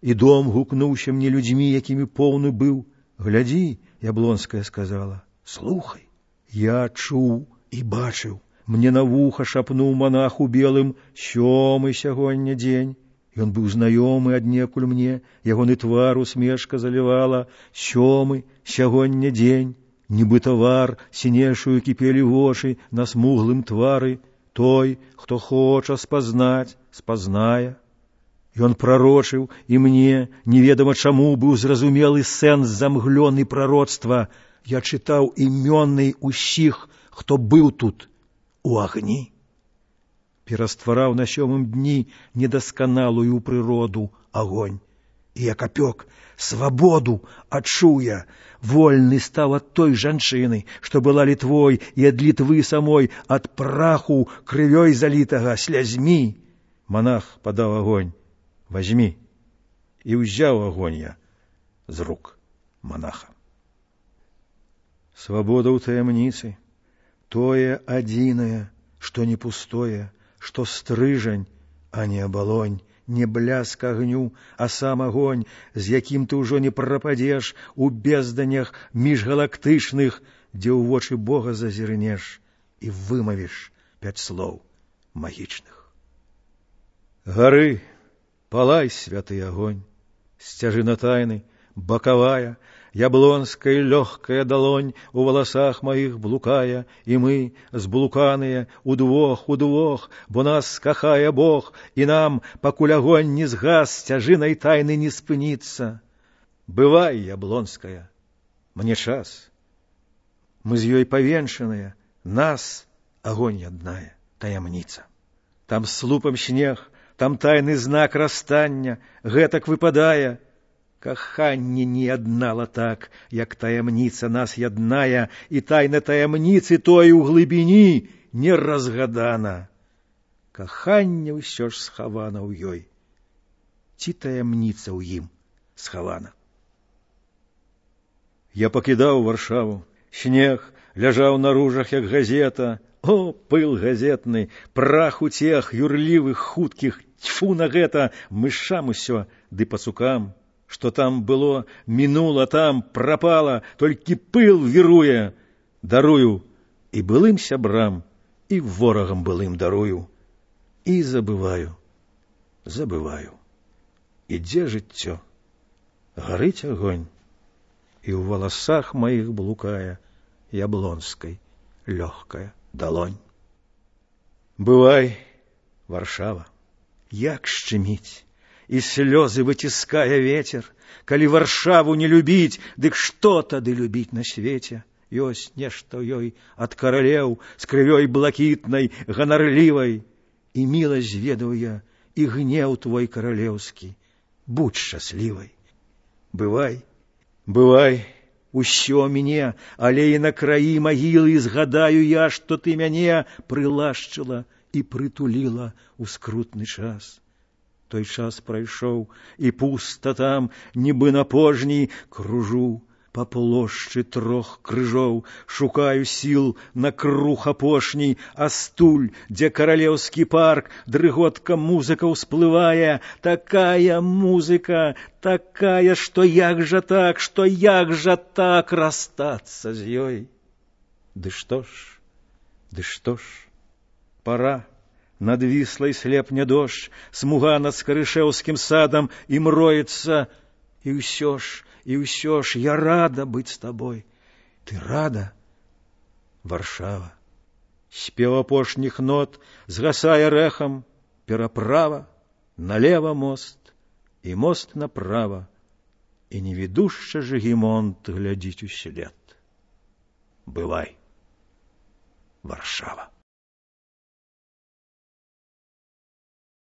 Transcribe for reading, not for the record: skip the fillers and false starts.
І дом гукнуўся мне людзьмі, якімі поўны быў. Глядзі, Яблонская сказала, слухай. Я чуў і бачыў. Мне на вуха шапнуў монах у белым: 7 сягоння дзень. Ён быў знаёмы аднекуль мне, ягоны твар усмешка залівала. 7 сягоння дзень. Нібы тавар сінешую кіпелі вочы на смуглым твары. Той, хто хоча спазнаць, спазнае. Ён прарочыў, і мне, неведама чаму, быў зразумелы сэнс замглёны прароцтва. Я чытаў імёны ўсіх, хто быў тут, у агні. Пераствараў на 7 дні недасканалую прыроду агонь. І як апёк, свабоду адчуў я. Вольны стаў ад той жанчыны, што была літвой, і ад літвы самой, ад праху крывёй залітага, слязьмі. Монах падаў агонь. Возьми. І ўзяў агонь я з рук монаха. Свабода ў таямніцы, тое адзінае, што не пустое, што стрыжань, а не абалонь, не бляск агню, а сам агонь, з якім ты ўжо не прападзеш у безданях міжгалактычных, дзе ў вочы Бога зазірнеш і вымавіш 5 слоў магічных. Гары, палай, святы агонь, сцяжына тайны, бакавая, яблонская лёгкая далонь у валасах маіх блукае, і мы, зблуканыя, удвох, бо нас кахае Бог, і нам, пакуль агонь не згас, сцяжынай тайны не спыніцца. Бывай, яблонская, мне час. Мы з ёй павенчаныя, нас агонь адная, таямніца. Там слупам снег, там тайны знак расстання, гэтак выпадае. Каханне не яднала так, як таямніца нас ядная, і тайна таямніцы той у глыбіні не разгадана. Каханне ўсё ж схавана ў ёй. Ці таямніца ў ім схавана? Я пакідаў Варшаву. Снег ляжаў на ружах, як газета. О, пыл газетны, прах утех юрлівых, хуткіх, тьфу на гэта, мышам усё, ды пацукам. Што там было, мінула, там прапала, толькі пыл віруе. Дарую і былым сябрам, і ворагам былым дарую. І забываю. Ідзе жыццё, гарыць агонь, і ў валасах маіх блукае яблонскай лёгкая далонь. Бывай, Варшава, як шчыміць, і слёзы выціскае ветер. Калі Варшаву не любіць, дык што тады любіць на свеце? Ёсць нешта ў ёй ад каралеў, з крывёй блакітнай, ганарлівай. І міласць ведаў я, і гнеў твой каралеўскі. Будь шчаслівай. Бывай, усё мне, але і на краі магілы згадаю я, што ты мяне прылашчыла і прытуліла ў скрутны час. Той час прайшоў, і пуста там, нібы на пожні, кружу па плошчы 3 крыжоў, шукаю сіл на круг апошні, а стуль, дзе каралеўскі парк, дрыготка музыка ўсплывае, такая музыка, такая, што як жа так расстацца з ёй. Ды што ж, пара. Надвіслай слепне дождж, смуга над скарышэўскім садам, і мроецца, і ўсё ж я рада быць з табой. Ты рада, Варшава? Спеў апошніх нот згасае рэхам, пераправа, налева мост, і мост направа, і невідушча Жыгімонт глядзіць услед. Бывай, Варшава.